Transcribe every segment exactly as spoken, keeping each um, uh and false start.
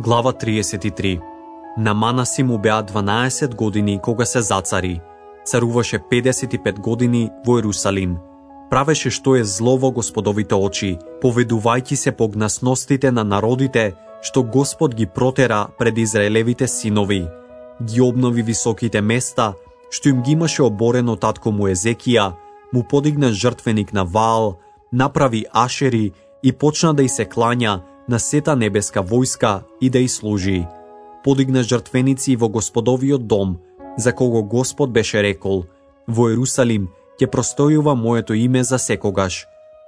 Глава триесет и три. На Манаси му беа дванаесет години кога се зацари. Царуваше педесет и пет години во Ерусалим. Правеше што е зло во Господовите очи, поведувајќи се по гнасностите на народите, што Господ ги протера пред Израелевите синови. Ги обнови високите места, што им ги имаше оборено татко му Езекија, му подигна жртвеник на Ваал, направи ашери и почна да й се клања на сета небеска војска и да й служи. Подигна жртвеници во Господовиот дом, за кого Господ беше рекол: во Ерусалим ќе простојува моето име за секогаш.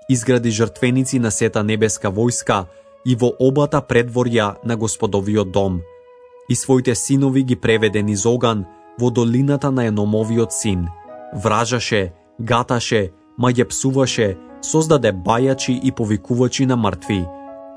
Изгради жртвеници на сета небеска војска и во обата предворја на Господовиот дом. И своите синови ги преведе низ оган во долината на Еномовиот син. Вражаше, гаташе, ма ја псуваше, создаде бајачи и повикувачи на мртви.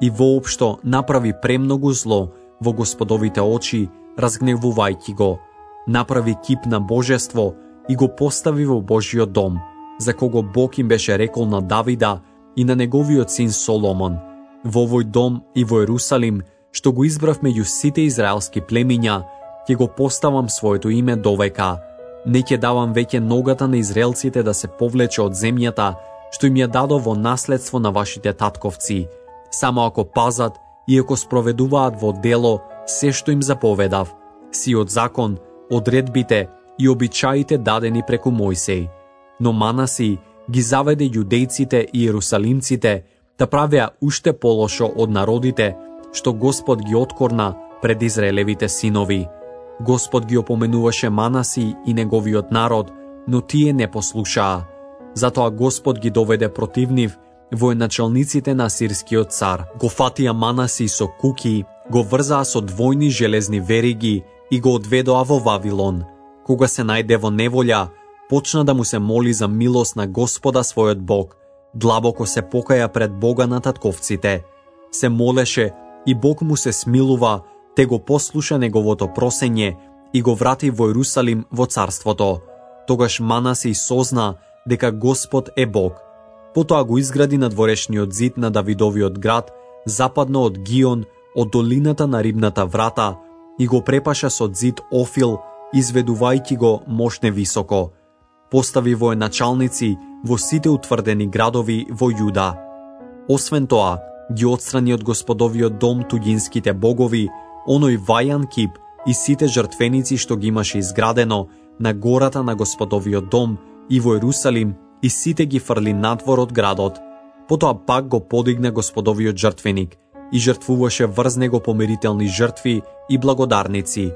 И воопшто направи премногу зло во Господовите очи, разгневувајќи го. Направи кип на божество и го постави во Божиот дом, за кого Бог им беше рекол на Давида и на неговиот син Соломон: во овој дом и во Ерусалим, што го избрав меѓу сите израелски племиња, ќе го поставам своето име довека. Не ќе давам веќе ногата на израелците да се повлече од земјата, што им ја дадо во наследство на вашите татковци, само ако пазат и ако спроведуваат во дело се што им заповедав, сиот закон, одредбите и обичаите дадени преку Мојсей. Но Манаси ги заведе јудејците и ерусалимците да правеа уште полошо од народите, што Господ ги откорна пред Израелевите синови. Господ ги опоменуваше Манаси и неговиот народ, но тие не послушаа. Затоа Господ ги доведе против нив военачалниците на асирскиот цар. Го фатија Манаси со куки, го врзаа со двојни железни вериги и го одведоа во Вавилон. Кога се најде во неволја, почна да му се моли за милост на Господа својот Бог. Длабоко се покаја пред Бога на татковците. Се молеше и Бог му се смилува, те го послуша неговото просење и го врати во Ерусалим во царството. Тогаш Манаси созна дека Господ е Бог. Потоа го изгради надворешниот зид на Давидовиот град, западно од Гион, од долината на Рибната врата, и го препаша со зид Офил, изведувајќи го мошне високо. Постави военачалници во сите утврдени градови во Јуда. Освен тоа, ги отстрани од Господовиот дом туѓинските богови, оној вајан кип и сите жртвеници што ги имаше изградено на гората на Господовиот дом и во Ерусалим, и сите ги фрли надвор од градот. Потоа пак го подигна Господовиот жртвеник и жртвуваше врз него помирителни жртви и благодарници.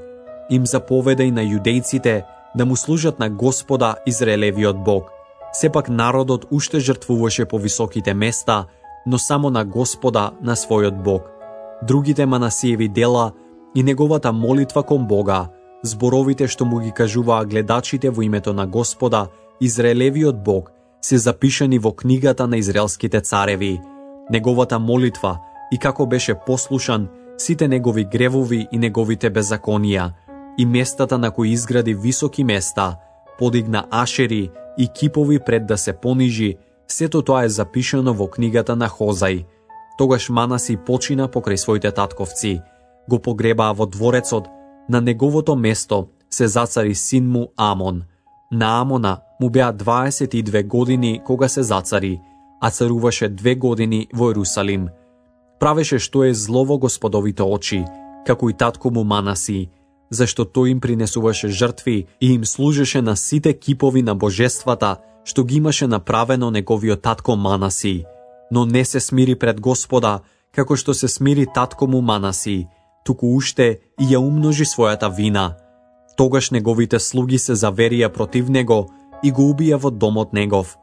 Им заповеда и на јудејците да му служат на Господа Израелевиот Бог. Сепак народот уште жртвуваше по високите места, но само на Господа, на својот Бог. Другите Манасиеви дела и неговата молитва кон Бога, зборовите што му ги кажуваа гледачите во името на Господа, Израелевиот Бог, се запишани во книгата на израелските цареви. Неговата молитва и како беше послушан, сите негови гревови и неговите беззаконија, и местата на кои изгради високи места, подигна ашери и кипови пред да се понижи, сето тоа е запишано во книгата на Хозај. Тогаш Манаси почина покрај своите татковци. Го погребаа во дворецот, на неговото место се зацари син му Амон. На Амона му беа дваесет и две години кога се зацари, а царуваше две години во Ерусалим. Правеше што е зло во Господовите очи, како и татко му Манаси, зашто тој им принесуваше жртви и им служеше на сите кипови на божествата, што ги имаше направено неговиот татко Манаси. Но не се смири пред Господа, како што се смири татко му Манаси, туку уште и ја умножи својата вина. Тогаш неговите слуги се заверија против него и го убија во домот негов.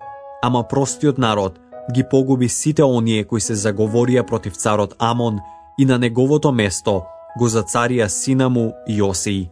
Ама простиот народ ги погуби сите оние кои се заговорија против царот Амон и на неговото место го зацарија сина му Јосија.